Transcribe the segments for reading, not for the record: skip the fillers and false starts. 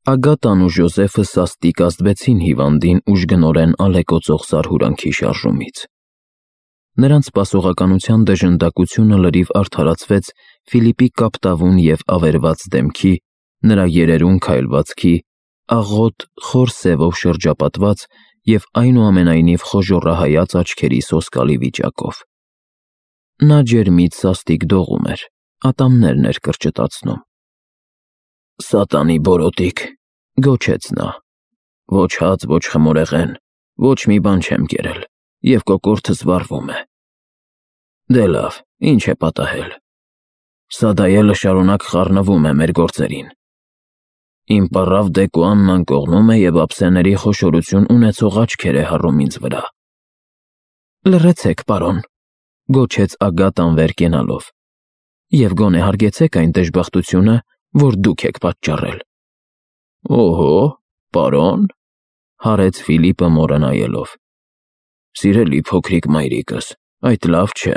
Ագատան ու Ժոզեֆը սաստիկ ազդվեցին հիվանդին ուժգնորեն ալեկոծող զարհուրանքի շարժումից։ Նրանց սպասողականության դժնդակությունը լրիվ արդարացվեց Ֆիլիպի կապտավուն և ավերված դեմքի, նրա երերուն քայլվածքի, աղոտ, խոր սևով շրջապատված և այնուամենայնիվ խոժոռահայաց աչքերի սոսկալի վիճակով։ Նա ջերմից սաստիկ դողում էր, ատամներն էր կրճտացնում։ «Սատանի բորոտիկ», գոչեց նա, «ոչ հաց, ոչ խմորեղեն, ոչ մի բան չեմ կերել, և կոկորդս վառվում է։ Դե լավ, ինչ է պատահել։ Սադայելը շարունակ խառնվում է մեր գործերին։ Իմ պառավ Դեկուանն անկողնում է և ափսեների խոշորություն ունեցող աչքեր է հառում ինձ վրա»։ «Լռեցեք, պարոն», գոչեց Ագատան վեր կենալով, «և գոնե հարգեցեք այն դժբախտությունը, որ դուք եք պատճառել»։ «Օհո, պարոն», հարեց Ֆիլիպը մորը նայելով, «սիրելի փոքրիկ մայրիկս, այդ լավ չէ։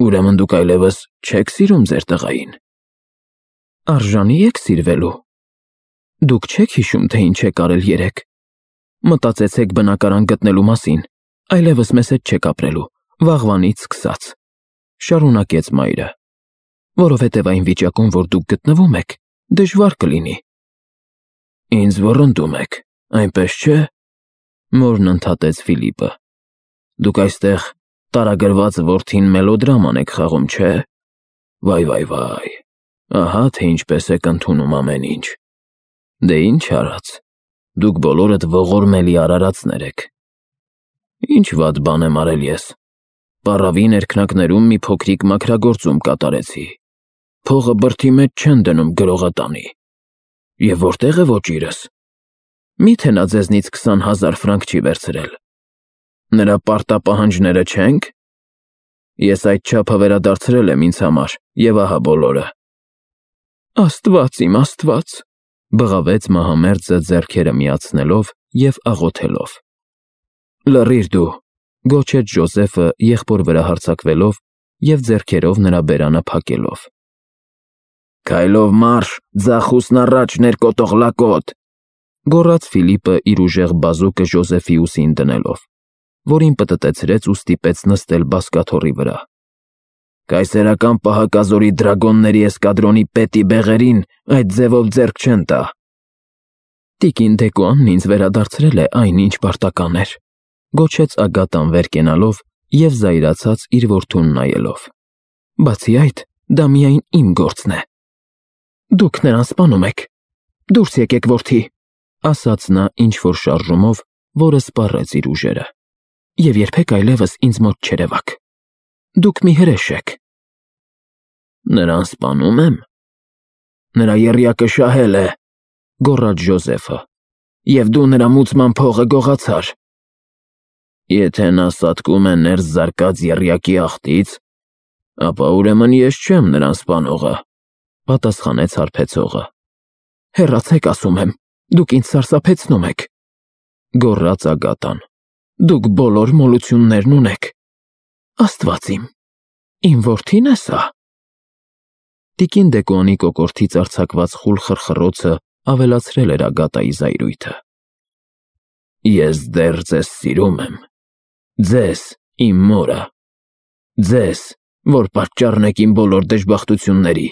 Ուրեմն դուք այլևս չեք սիրում ձեր տղային»։ «Արժանի եք սիրվելու։ Դուք չեք հիշում, թե ինչ եք արել երեկ։ Մտածեցեք բնակարան գտնելու մասին, այլևս մեզ հետ չեք ապրելու, վաղվանից սկսած», շարունակեց մայրը, «որովհետև այն վիճակում, որ դուք գտնվում եք, դժվար կլինի»։ «Ինձ ոռնդում եք, այնպես չէ», մորն ընդհատեց Ֆիլիպը։ «Դուք այստեղ տարագրված որդին մելոդրաման եք խաղում, չէ։ Վայ, ահա թե ինչպես եք ընդունում ամեն ինչ։ Դե ինչ արած, դուք բոլորդ ողորմելի արարածներ եք։ Ինչ վատ բան եմ արել ես։ Պառավի ներքնակներում մի փոքրիկ մաքրագործում կատարեցի։ Փողը բրդի մեջ չեն դնում գրողը տանի։ Եվ որտեղ է ոճիրս։ Մի՞թե նա ձեզնից 20,000 ֆրանկ չի վերցրել։ Նրա պարտապահանջները չենք։ Ես այդ չափը վերադարձրել եմ ինձ համար, և ահա բոլորը»։ «Աստված իմ Աստված», բղավեց մահամերձը ձեռքերը միացնելով և աղոթելով։ «Լռիր դու», գոչեց Ժոզեֆը եղբոր վրա հարձակվելով և ձեռքերով նրա բերանը փակելով։ «Քայլով մարշ, ձախուսն առաջ, ներկոտող լակոտ», գոռաց Ֆիլիպը իր ուժեղ բազուկը Ժոզեֆի ուսին դնելով, որին պտտեցրեց ու ստիպեց նստել բազկաթոռի վրա։ «Կայսերական պահակազորի դրագոնների էսկադրոնի պետի բեղերին այդ ձևով ձեռք չեն տա»։ «Տիկին Դեկուանն ինձ վերադարձրել է այն, ինչ պարտական էր», գոչեց Ագատան վեր կենալով և զայրացած իր որդուն նայելով։ «Բացի այդ, դա միայն իմ գործն է»։ «Դուք նրան սպանում եք։ Դուրս եկեք, որդի», ասաց նա ինչ-որ շարժումով, որը սպառեց իր ուժերը, «և երբեք այլևս ինձ մոտ չերևաք։ Դուք մի հրեշ եք»։ «Նրան սպանում եմ։ Նրա եռյակը շահել է», գոռաց Ժոզեֆը, «և դու նրա մուծման փողը գողացար»։ «Եթե նա սատկում է ներս զարկած եռյակի ախտից, ապա ուրեմն ես չեմ նրան սպանողը», պատասխանեց հարբեցողը։ «Հեռացեք, ասում եմ, դուք ինձ սարսափեցնում եք», գոռաց Ագատան։ «Դուք բոլոր մոլություններն ունեք։ Աստված իմ որդի՞ն է սա»։ Տիկին Դեկուանի կոկորդից արձակված խուլ խռխռոցը ավելացրել էր Ագատայի զայրույթը։ «Ես դեռ ձեզ սիրում եմ, ձեզ, իմ մորը, ձեզ, որ պատճառն եք իմ բոլոր դժբախտությունների»,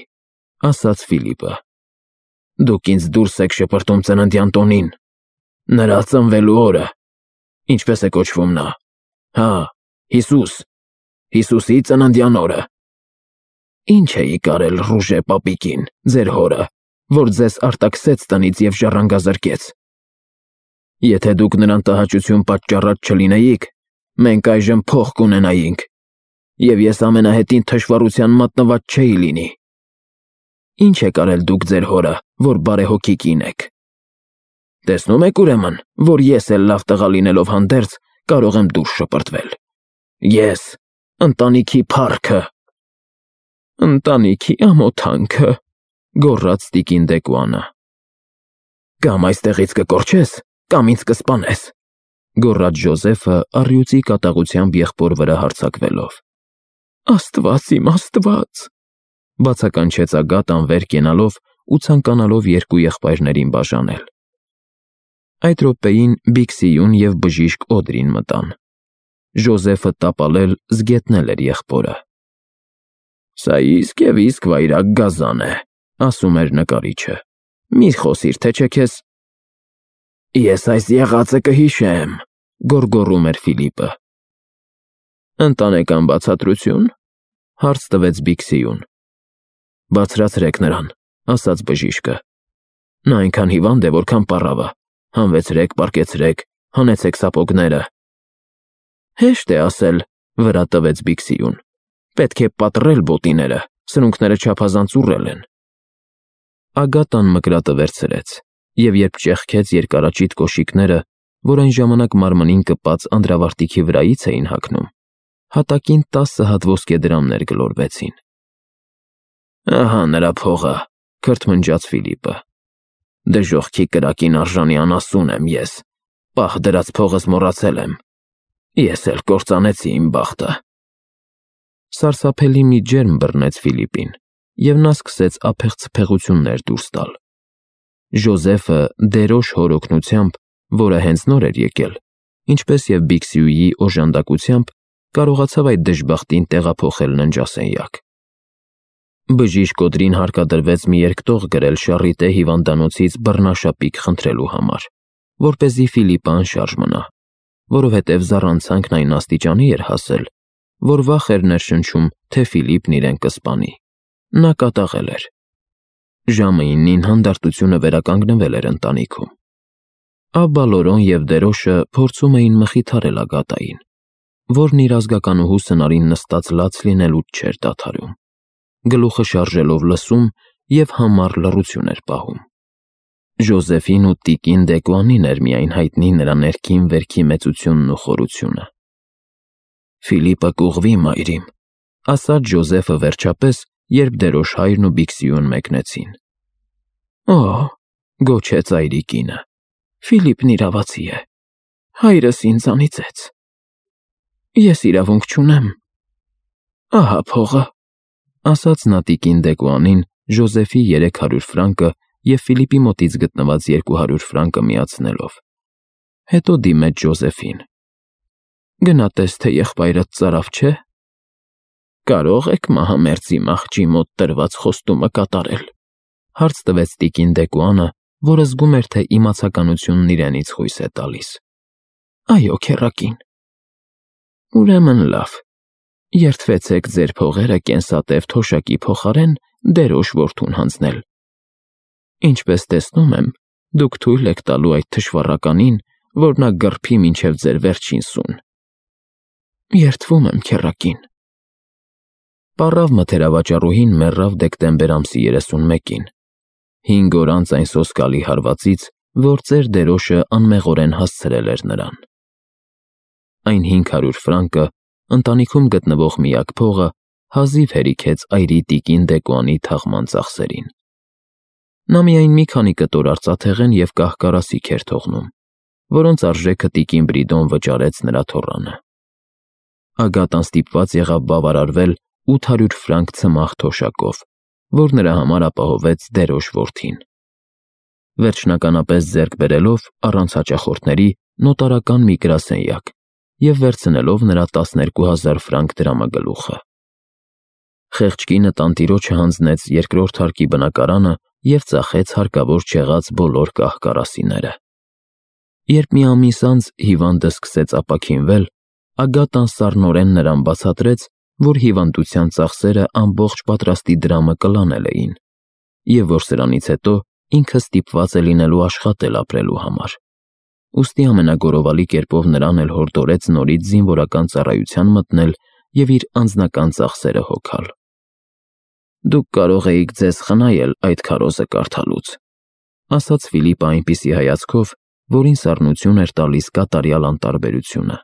ասաց Ֆիլիպը։ «Դուք ինձ դուրս եք շպրտում ծննդյան տոնին, նրա ծնվելու օրը, ինչպես է կոչվում նա, հա, Հիսուսի ծննդյան օրը։ Ինչ էիք արել Ռուժե պապիկին, ձեր հորը, որ ձեզ արտաքսեց տնից և ժառանգազրկեց։ Եթե դուք նրան տհաճություն պատճառած չլինեիք, մենք այժմ փող կունենայինք, և ես ամենահետին թշվառության մատնված չէի լինի։ Ինչ եք արել դուք ձեր հորը, որ բարեհոգի կին եք։ Տեսնում եք ուրեմն, որ ես էլ լավ տղա լինելով հանդերձ կարող եմ դուրս շպրտվել։ Ես, ընտանիքի փառքը»։ «Ընտանիքի ամոթանքը», գոռաց տիկին Դեկուանը։ «Կամ այստեղից կկորչես, կամ ինձ կսպանես», գոռաց Ժոզեֆը առյուծի կատաղությամբ եղբոր վրա հարձակվելով։ «Աստված իմ Աստված», բացականչեց Ագատան վեր կենալով ու ցանկանալով երկու եղբայրներին բաժանել։ Այդ րոպեին Բիքսիյուն և բժիշկ Օդրին մտան։ Ժոզեֆը տապալել զգետնել էր եղբորը։ «Սա իսկ վայրագ գազան է», ասում էր նկարիչը։ «Մի խոսիր, թե չէ քեզ»։ «Ես այս եղածը կհիշեմ», գոռգոռում էր Ֆիլիպը։ «Ընտանեկան բացատրություն», հարց տվեց Բիքսիյուն։ «Բարձրացրեք նրան», ասաց բժիշկը։ «Նա այնքան հիվանդ է, որքան պառավը։ Հանվեցրեք, պառկեցրեք, հանեցեք սապոգները»։ «Հեշտ է ասել», վրա տվեց Բիքսիյուն։ «Պետք է պատռել բոտիները, սրունքները չափազանց ուռել են»։ Ագատան մկրատը վերցրեց, և երբ ճեղքեց երկարաճիտ կոշիկները, որ այն ժամանակ մարմնին կպած անդրավարտիքի վրայից էին հագնում, հատակին 10 հատ ոսկե դրամներ գլորվեցին։ «Ահա նրա փողը», քրթմնջաց Ֆիլիպը։ «Դժոխքի կրակին արժանի անասուն եմ ես, պահ դրած փողս մոռացել եմ։ Ես էլ կործանեցի իմ բախտը»։ Սարսափելի մի ջերմ բռնեց Ֆիլիպին, և նա սկսեց ափեղ ցփեղություններ դուրս տալ։ Ժոզեֆը դերոշ հոր օգնությամբ, որը հենց նոր էր եկել, ինչպես և Բիքսիուի օժանդակությամբ, կարողացավ այդ դժբախտին տեղափոխել ննջասենյակ։ Բժիշկ Օդրին հարկադրվեց մի երկտող գրել Շառիտե հիվանդանոցից բռնաշապիկ խնդրելու համար, որպեսզի Ֆիլիպը անշարժ մնա, որովհետև զառանցանքն այն աստիճանի էր հասել, որ վախ էր ներշնչում, թե Ֆիլիպն իրեն կսպանի։ Նա կատաղել էր։ Ժամը 9-ին հանդարտությունը վերականգնվել էր ընտանիքում։ Աբբա Լորոն և Դերոշը փորձում էին մխիթարել Ագատային, որն իր ազգականուհու սնարին նստած լաց լինելուց չէր դադարում, գլուխը շարժելով լսում և համառ լռություն էր պահում։ Ժոզեֆին ու տիկին Դեկուանին էր միայն հայտնի նրա ներքին վերքի մեծությունն ու խորությունը։ «Ֆիլիպը կուղվի, մայրիմ», ասաց Ժոզեֆը վերջապես, երբ Դերոշ հայրն ու Բիքսիյուն մեկնեցին։ «Օ՜», գոչեց այրիկինը, «Ֆիլիպն իրավացի է։ Հայրս ինձ անիծեց։ Ես իրավունք չունեմ։ Ահա փողը», ասաց նա տիկին Դեկուանին Ժոզեֆի 300 ֆրանկը և Ֆիլիպի մոտից գտնված 200 ֆրանկը միացնելով։ Հետո դիմեց Ժոզեֆին։ «Գնա տես, թե եղբայրդ ծարավ չէ։ Կարո՞ղ եք մահամերձի մահճի մոտ տրված խոստումը կատարել», հարց տվեց տիկին Դեկուանը, որը զգում էր, թե իմացականությունն իրենից խույս է տալիս։ «Այո, քեռակին»։ «Ուրեմն լավ, երդվեցեք ձեր փողերը կենսատև թոշակի փոխարեն Դերոշ որդուն հանձնել։ Ինչպես տեսնում եմ, դուք թույլ եք տալու այդ թշվառականին, որ նա գռփի մինչև ձեր վերջին սուն։ Երդվում եմ, քեռակին»։ Պառավ մթերավաճառուհին մեռավ դեկտեմբեր ամսի 31-ին, 5 օր անց այն սոսկալի հարվածից, որ ծեր Դերոշը անմեղորեն հասցրել էր նրան։ Այն 500 ֆրանկը, ընտանիքում գտնվող միակ փողը, հազիվ հերիքեց այրի տիկին Դեկուանի թաղման ծախսերին։ Նա միայն մի քանի կտոր արծաթեղեն և կահ-կարասիք էր թողնում, որոնց արժեքը տիկին Բրիդոն վճարեց նրա թոռանը։ Ագատան ստիպված եղավ բավարարվել 800 ֆրանկ ցմահ թոշակով, որ նրա համար ապահովեց Դերոշ որդին։ Վերջնականապես ձեռք բերելով, առանց հաճախորդների, նոտարական մի գրասենյակ և վերցնելով նրա 12,000 ֆրանկ դրամագլուխը։ Խեղճ կինը տանտիրոջը հանձնեց երկրորդ հարկի բնակարանը և ծախեց հարկավոր չեղած բոլոր կահ-կարասիները։ Երբ մի ամիս անց հիվանդը սկսեց ապաքինվել, Ագատան սառնորեն նրան բացատրեց, որ հիվանդության ծախսերը ամբողջ պատրաստի դրամը կլանել էին, և որ սրանից հետո ինքը ստիպված է լինելու աշխատել ապրելու համար։ Ուստի ամենագորովալի կերպով նրան էլ հորդորեց նորից զինվորական ծառայության մտնել և իր անձնական ծախսերը հոգալ։ «Դուք կարող էիք ձեզ խնայել այդ քարոզը կարդալուց», ասաց Ֆիլիպը այնպիսի հայացքով, որին սառնություն էր տալիս կատարյալ անտարբերությունը։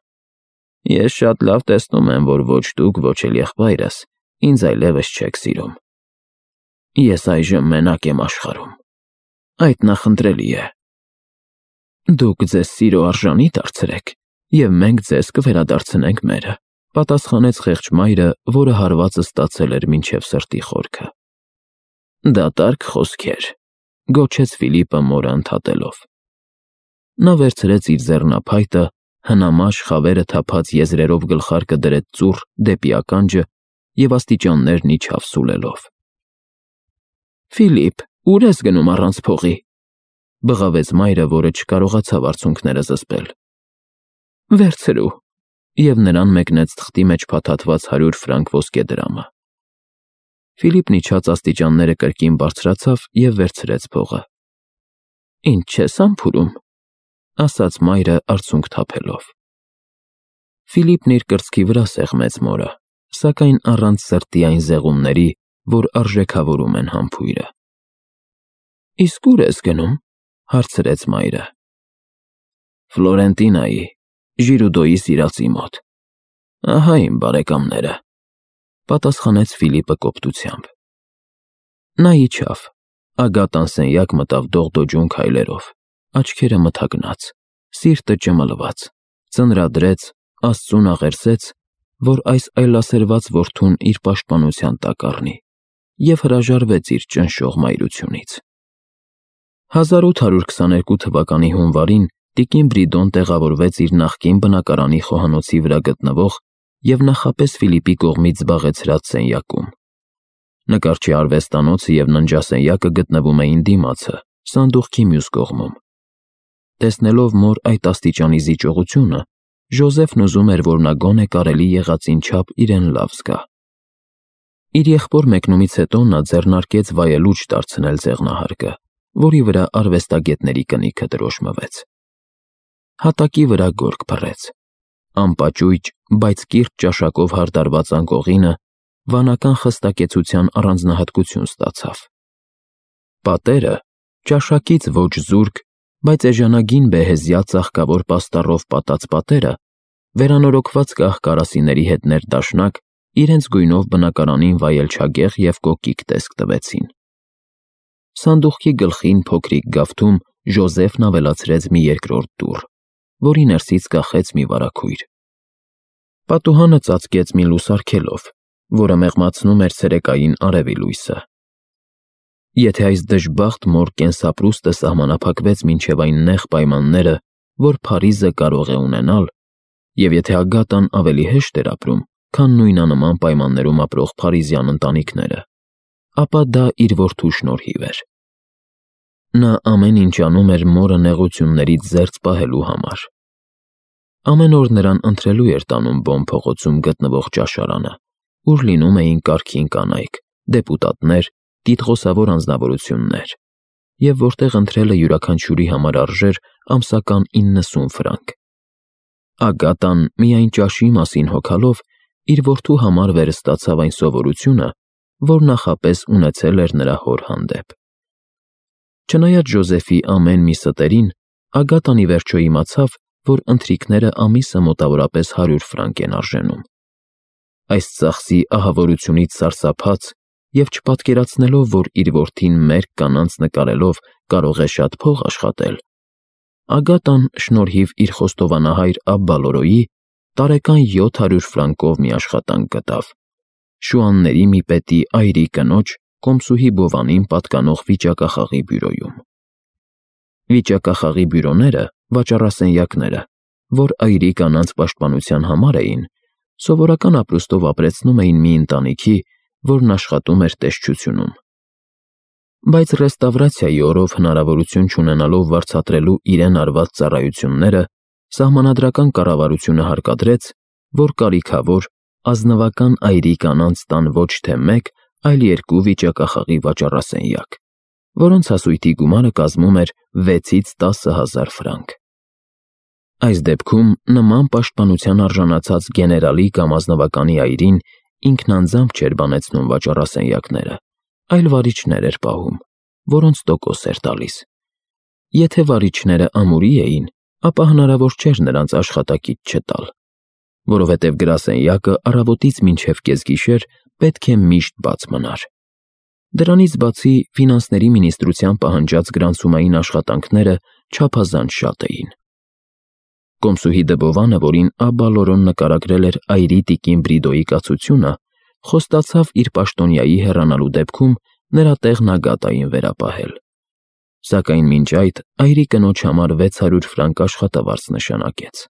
«Ես շատ լավ տեսնում եմ, որ ոչ դուք, ոչ էլ եղբայրս ինձ այլևս չեք սիրում։ Ես այժմ մենակ եմ աշխարհում։ Այդ նախընտրելի է։ Դուք ձեզ սիրո արժանի դարձրեք, և մենք ձեզ կվերադարձնենք մերը», պատասխանեց խեղճ մայրը, որը հարվածը ստացել էր մինչև սրտի խորքը։ Դատարկ խոսքեր, գոչեց Ֆիլիպը մորը ընդհատելով։ Նա վերցրեց իր ձեռնափայտը, հնամաշ խավերը թափած եզրերով գլխարկը դրեց ծուռ դեպի ականջը և աստիճաններն իջավ սուլելով։ Ֆիլիպ, ուր ես գնում առանց փողի, բղավեց մայրը, որը չկարողացավ արցունքները զսպել։ Վերցրու, և նրան մեկնեց թղթի մեջ փաթաթված 100 ֆրանկ ոսկե դրամը։ Ֆիլիպն իջած աստիճանները կրկին բարձրացավ և վերցրեց փողը։ Ինչ ես համբուրում, ասաց մայրը արցունք թափելով։ Ֆիլիպն իր կրծքի վրա սեղմեց մորը, սակայն առանց սրտի այն զեղումների, որ արժեքավորում են համբույրը։ Իսկ ուր ես գնում, հարցրեց մայրը։ Ֆլորենտինայի, Ժիրուդոյի սիրածի մոտ։ Ահա իմ բարեկամները, պատասխանեց Ֆիլիպը կոպտությամբ։ Նա իջավ, Ագատան սենյակ մտավ դողդոջուն քայլերով, աչքերը մթագնած, սիրտը ճմլված, ծնրադրեց, Աստծուն աղերսեց, որ այս այլասերված որդուն իր պաշտպանության տակ առնի, և հրաժարվեց իր ճնշող մայրությունից։ 1822 թվականի հունվարին տիկին Բրիդոն տեղավորվեց իր նախկին բնակարանի խոհանոցի վրա գտնվող և նախապես Ֆիլիպի կողմից զբաղեցրած սենյակում։ Նկարչի արվեստանոցը և ննջասենյակը գտնվում էին դիմացը, սանդուղքի մյուս կողմում։ Տեսնելով մոր այդ աստիճանի զիջողությունը, Ժոզեֆն ուզում էր, որ նա գոնե կարելի եղածին չափ իրեն լավ զգա։ Իր եղբոր մեկնումից հետո նա ձեռնարկեց վայելուչ դարձնել ձեղնահարկը, որի վրա արվեստագետների կնիքը դրոշմվեց։ Հատակի վրա գորգ փռեց։ Անպաճույճ, բայց կիրճ ճաշակով հարդարված անկողինը վանական խստակեցության առանձնահատկություն ստացավ։ Պատերը, ճաշակից ոչ զուրկ, բայց էժանագին բեհեզյա ծաղկավոր պաստառով պատած պատերը, վերանորոգված կախ կարասիների հետ ներդաշնակ, իրենց գույնով բնակարանին վայելչագեղ և կոկիկ տեսք տվեցին։ Սանդուղքի գլխին փոքրիկ գավթում Ժոզեֆն ավելացրեց մի երկրորդ դուռ, որի ներսից կախեց մի վարագույր։ Պատուհանը ծածկեց մի լուսարգելով, որը մեղմացնում էր ցերեկային արևի լույսը։ Եթե այս դժբախտ մոր կենսապրուստը սահմանափակվեց մինչև այն նեղ պայմանները, որ Փարիզը կարող է ունենալ, և եթե Ագատան ավելի հեշտ էր ապրում, քան նույնանման պայմաններում ապրող փարիզյան ընտանիքները, ապա դա իր որդու շնորհիվ էր։ Նա ամեն ինչ անում էր մորը նեղություններից զերծ պահելու համար։ Ամեն օր նրան ընթրելու էր տանում Բոն փողոցում գտնվող ճաշարանը, ուր լինում էին կարգին կանայք, դեպուտատներ, տիտղոսավոր անձնավորություններ, և որտեղ ընթրելը յուրաքանչյուրի համար արժեր ամսական 90 ֆրանկ։ Ագատան, միայն ճաշի մասին հոգալով, իր որդու համար վերստացավ այն սովորությունը, որ նախապես ունեցել էր նրա հոր հանդեպ։ Չնայած Ժոզեֆի ամեն մի ստերին, Ագատան ի վերջո իմացավ, որ ընթրիքները ամիսը մոտավորապես 100 ֆրանկ են արժենում։ Այս ծախսի ահավորությունից սարսափած և չպատկերացնելով, որ իր որդին մերկ կանանց նկարելով կարող է շատ փող աշխատել, Ագատան շնորհիվ իր խոստովանահայր Աբբալորոյի տարեկան 700 ֆրանկով մի աշխատանք գտավ՝ շուանների մի պետի այրի կնոջ Կոմսուհի Բովանին պատկանող վիճակախաղի բյուրոյում։ Վիճակախաղի բյուրոները, վաճառասենյակները, որ այրի կանանց պաշտպանության համար էին, սովորական ապրուստով ապրեցնում էին մի ընտանիքի, որն աշխատում էր տեսչությունում։ Բայց ռեստավրացիայի օրով հնարավորություն չունենալով վարձատրելու իրեն արված ծառայությունները, սահմանադրական կառավարությունը հարկադրեց, որ կարիքավոր, ազնվական այրի կանանց տան ոչ թե մեկ, այլ 2 վիճակախաղի վաճառասենյակ, որոնց հասույթի գումարը կազմում էր 6-ից 10,000 ֆրանկ։ Այս դեպքում նման պաշտպանության արժանացած գեներալի կամ ազնվականի այրին ինքնանձամբ չէր բանեցնում վաճառասենյակները, այլ վարիչներ էր պահում, որոնց տոկոս էր տալիս։ Եթե վարիչները ամուրի էին, ապա հնարավոր չէր նրանց աշխատակից չտալ, որովհետև գրասենյակը առավոտից մինչև կեսգիշեր պետք է միշտ բաց մնար։ Դրանից բացի ֆինանսների մինիստրության պահանջած գրանցումային աշխատանքները չափազանց շատ էին։ Կոմսուհի Դբովանը, որին Աբբալորոն նկարագրել էր այրի տիկին Բրիդոյի կացությունը, խոստացավ իր պաշտոնյայի հեռանալու դեպքում նրա տեղն Ագատային վերապահել։ Սակայն մինչ այդ այրի կնոջ համար 600 ֆրանկ աշխատավարձ նշանակեց։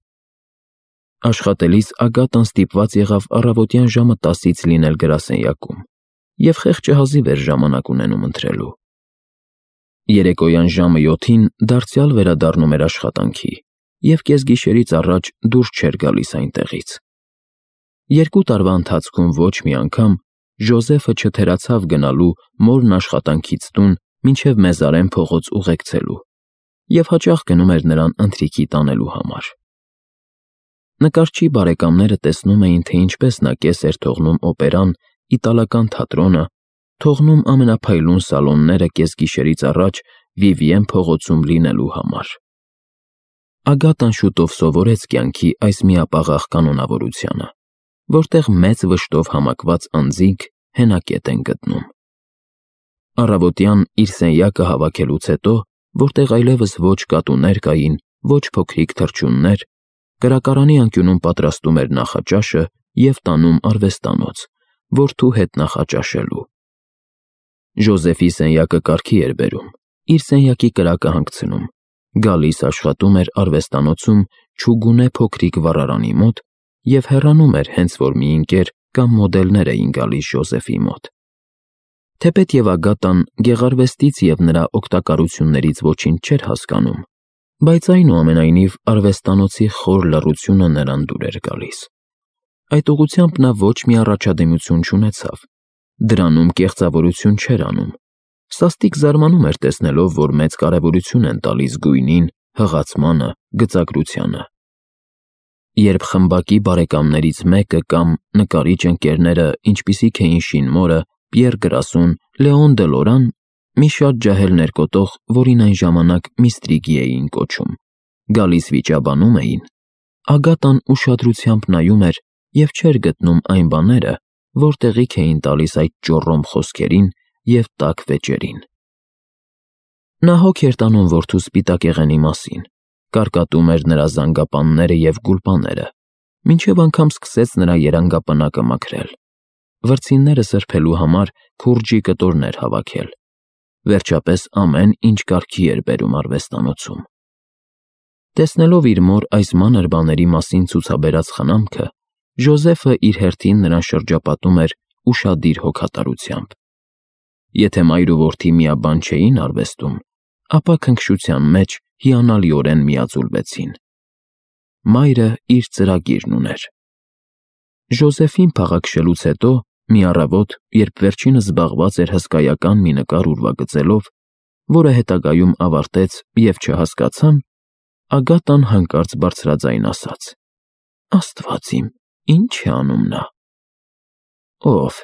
Աշխատելիս Ագատան ստիպված եղավ առավոտյան ժամը 10-ից լինել գրասենյակում և խեղճը հազիվ էր ժամանակ ունենում ընթրելու։ Երեկոյան ժամը 7-ին դարձյալ վերադառնում էր աշխատանքի և կեսգիշերից առաջ դուրս չէր գալիս այնտեղից։ 2 տարվա ընթացքում ոչ մի անգամ Ժոզեֆը չթերացավ գնալու մորն աշխատանքից տուն մինչև Մեզարեն փողոց ուղեկցելու և հաճախ գնում էր նրան ընթրիքի տանելու համար։ Նկարչի բարեկամները տեսնում էին, թե ինչպես նա կես էր թողնում օպերան, իտալական թատրոնը, թողնում ամենափայլուն սալոնները կեսգիշերից առաջ Վիվիեն փողոցում լինելու համար։ Ագատան շուտով սովորեց կյանքի այս միապաղաղ կանոնավորությանը, որտեղ մեծ վշտով համակված անձինք հենակետ են գտնում։ Առավոտյան իր սենյակը հավաքելուց հետո, որտեղ այլևս ոչ կատուներ կային, ոչ փոքրիկ թռչուններ, կրակարանի անկյունում պատրաստում էր նախաճաշը և տանում արվեստանոց, որդու հետ նախաճաշելու։ Ժոզեֆի սենյակը կարգի էր բերում, իր սենյակի կրակը հանգցնում, գալիս աշխատում էր արվեստանոցում չուգունե փոքրիկ վառարանի մոտ և հեռանում էր, հենց որ մի ընկեր կամ մոդելներ էին գալիս Ժոզեֆի մոտ։ Թեպետև Ագատան գեղարվեստից և նրա օգտակարություններից ոչինչ չէր հասկանում, բայց այնուամենայնիվ արվեստանոցի խոր լռությունը նրան դուր էր գալիս։ Այդ ուղղությամբ նա ոչ մի առաջադիմություն չունեցավ, դրանում կեղծավորություն չէր անում, սաստիկ զարմանում էր տեսնելով, որ մեծ կարևորություն են տալիս գույնին, հղացմանը, գծագրությանը։ Երբ խմբակի բարեկամներից մեկը կամ նկարիչ ընկերները, ինչպիսիք էին Շինմորը, Պիեր Գրասուն, Լեոն դե Լորան, մի շատ ջահել ներկոտող, որին այն ժամանակ Միստրիգի էին կոչում, գալիս վիճաբանում էին, Ագատան ուշադրությամբ նայում էր և չէր գտնում այն բաները, որ տեղիք էին տալիս այդ ճոռոմ խոսքերին և տաք վեճերին։ Նա հոգ էր տանում որդու սպիտակեղենի մասին, կարկատում էր նրա զանգապանները և գուլպաները, մինչև անգամ սկսեց նրա երանգապնակը մաքրել, վրձինները սրբելու համար քուրջի կտորներ հավաքել, վերջապես ամեն ինչ կարգի էր բերում արվեստանոցում։ Տեսնելով իր մոր այս մանր բաների մասին ցուցաբերած խնամքը, Ժոզեֆը իր հերթին նրան շրջապատում էր ուշադիր հոգատարությամբ։ Եթե մայր ու որդի միաբան չէին արվեստում, ապա քնքշության մեջ հիանալիորեն միաձուլվեցին։ Մայրը իր ծրագիրն ուներ։ Ժոզեֆին փաղաքշելուց հետո, մի առավոտ, երբ վերջինս զբաղված էր հսկայական մի նկար ուրվագծելով, որը հետագայում ավարտեց և չհասկացան, Ագատան հանկարծ բարձրաձայն ասաց. «Աստված իմ, ի՞նչ է անում նա»։ «Ո՞վ»։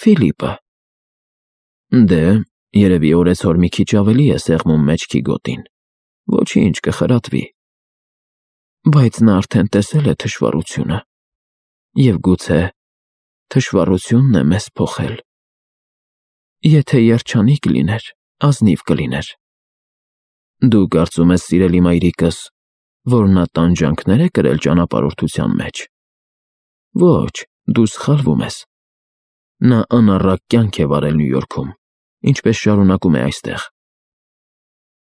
«Ֆիլիպը»։ «Դե, երևի օրեցօր մի քիչ ավելի է սեղմում մեջքի գոտին, ոչինչ, կխրատվի»։ «Բայց նա արդեն տեսել է թշվառությունը, և գուցե թշվառությունն է մեզ փոխել։ Եթե երջանիկ լիներ, ազնիվ կլիներ։ Դու կարծում ես, սիրելի մայրիկս, որ նա տանջանքներ է կրել ճանապարհորդության մեջ։ Ոչ, դու սխալվում ես։ Նա անառակ կյանք է վարել Նյու Յորքում, ինչպես շարունակում է այստեղ։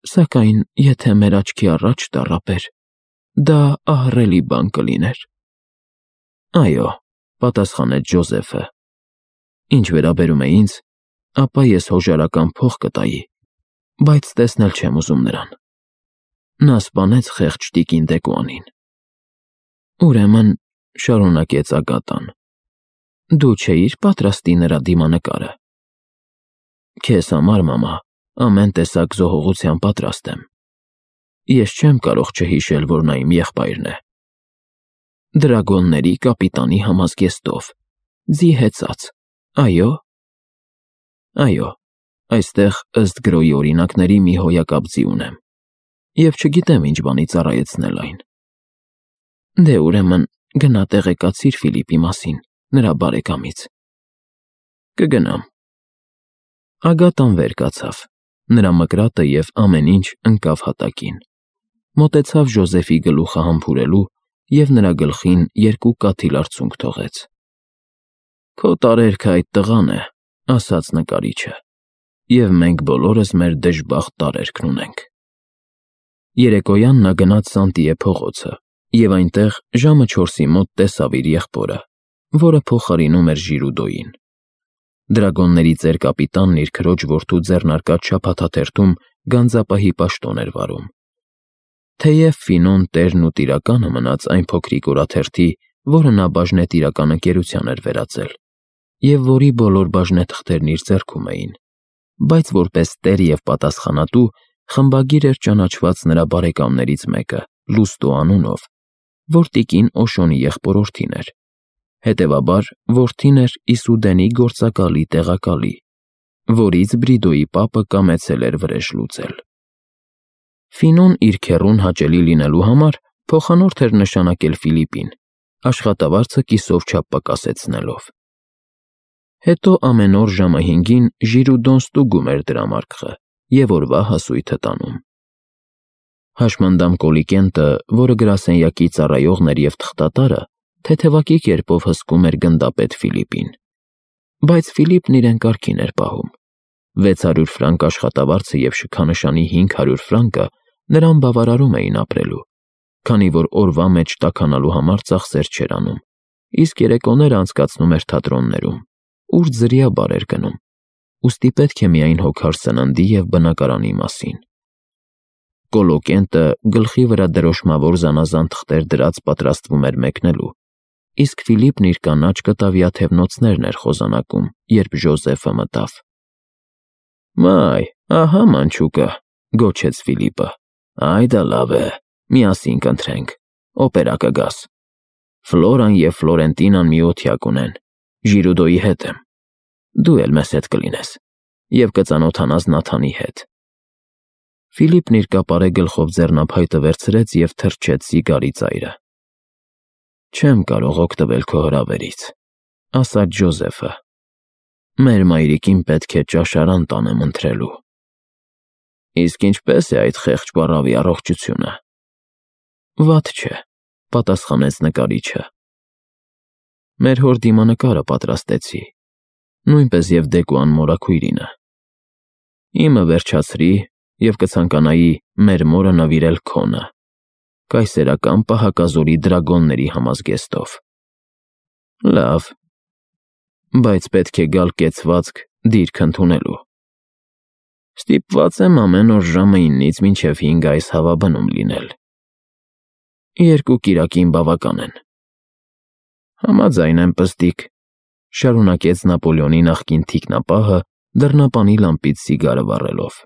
Սակայն եթե մեր աչքի առաջ տառապեր, դա ահռելի բան կլիներ»։ «Այո», պատասխանեց Ժոզեֆը, «ինչ վերաբերում է ինձ, ապա ես հոժարական փող կտայի, բայց տեսնել չեմ ուզում նրան։ Նա սպանեց խեղճ տիկին Դեկուանին»։ «Ուրեմն», շարունակեց Ագատան, «դու չէիր պատրաստի նրա դիմանկարը»։ «Քեզ համար, մամա, ամեն տեսակ զոհողության պատրաստ եմ։ Ես չեմ կարող չհիշել, որ նա իմ եղբայրն է։ Դրագոնների կապիտանի համազգեստով, ձի հեծած, այո՞։ Այո, այստեղ ըստ գրոյի օրինակների մի հոյակապ ձի ունեմ, և չգիտեմ ինչ բանի ծառայեցնել այն։ Դե ուրեմն գնա տեղեկացիր Ֆիլիպի մասին, նրա բարեկամից»։ «Կգնամ»։ Ագատան վեր կացավ, նրա մկրատը և ամեն ինչ ընկավ հատակին, մոտեցավ Ժոզեֆի գլուխը համբուրելու և նրա գլխին 2 կաթիլ արցունք թողեց։ «Քո տարերքը այդ տղան է», ասաց նկարիչը։ և մենք բոլորս մեր դժբախտ տարերքն ունենք։ Երեկոյան նա գնաց Սանտիե փողոցը և այնտեղ ժամը 4-ի մոտ տեսավ իր եղբորը, որը փոխարինում էր Ժիրուդոյին։ Դրագոնների ծեր-կապիտանն իր քրոջ որդու ձեռնարկած շաբաթաթերթում գանձապահի պաշտոն էր վարում։ Թեև Ֆինոն տերն ու տիրականը մնաց այն փոքրիկ օրաթերթի, որը նա բաժնետիրական ընկերության էր վերածել, և որի բոլոր բաժնեթղթերն իր ձեռքում էին, բայց որպես տեր և պատասխանատու խմբագիր էր ճանաչված նրա բարեկամներից մեկը՝ Լուստո անունով, որ տիկին Օշոնի եղբորորդին էր, հետևաբար որդին էր Իսուդենի գործակալի տեղակալի, որից Բրիդոյի պապը կամեցել էր վրեժ լուծել։ Ֆինոն իր քեռուն հաճելի լինելու համար փոխանորդ էր նշանակել Ֆիլիպին, աշխատավարձը կիսով չափ պակասեցնելով։ Հետո ամեն օր ժամը 5-ին Ժիրուդոն ստուգում էր դրամարկղը և օրվա հասույթը տանում։ Հաշմանդամ Կոլիկենտը, որը գրասենյակի ծառայողն էր և թղթատարը, թեթևակի կերպով հսկում էր գնդապետ Ֆիլիպին, բայց Ֆիլիպն իրեն կարգին էր պահում։ 600 ֆրանկ աշխատավարձը և շքանշանի 500 ֆրանկը նրան բավարարում էին ապրելու, քանի որ օրվա մեջ տաքանալու համար ծախսեր չէր անում, իսկ երեկոները անցկացնում էր թատրոններում, ուր ձրիաբար էր գնում, ուստի պետք է միայն հոգար սննդի և բնակարանի մասին։ Կոլոկենտը գլխի վրա դրոշմավոր զանազան թղթեր դրած պատրաստվում էր մեկնելու, իսկ Ֆիլիպն իր կանաչ կտավյաթև նոցներն էր խոզանակում, երբ Ժոզեֆը մտավ։ «Մայ, ահա մանչուկը», գոչեց Ֆիլիպը։ «Այ դա լավ է, միասին կընթրենք, օպերա կգաս։ Ֆլորան և Ֆլորենտինան մի օթյակ ունեն, Ժիրուդոյի հետ եմ, դու էլ մեզ հետ կլինես և կծանոթանաս Նաթանի հետ»։ Ֆիլիպն իր կապարե գլխով ձեռնափայտը վերցրեց և թրջեց սիգարի ծայրը։ «Չեմ կարող օգտվել քո հրավերից», ասաց Ժոզեֆը։ «Մեր մայրիկին պետք է ճաշարան տանեմ ընթրելու»։ «Իսկ ինչպե՞ս է այդ խեղճ պառավի առողջությունը»։ «Վատ չէ», պատասխանեց նկարիչը։ «Մեր հոր դիմանկարը պատրաստեցի, նույնպես և Դեկոան մորաքույրինը։ Իմը վերջացրի և կցանկանայի մեր մորը նվիրել քոնը՝ կայսերական պահակազորի դրագոնների համազգեստով»։ «Լավ, բայց պետք է գալ կեցվածք դիրք ընդունելու։ Ստիպված եմ ամեն օր ժամը 9-ից մինչև 5 այս հավաբնում լինել։ 2 կիրակին բավական են»։ «Համաձայն եմ, պստիկ», շարունակեց Նապոլեոնի նախկին թիկնապահը՝ դռնապանի լամպից սիգարը վառելով։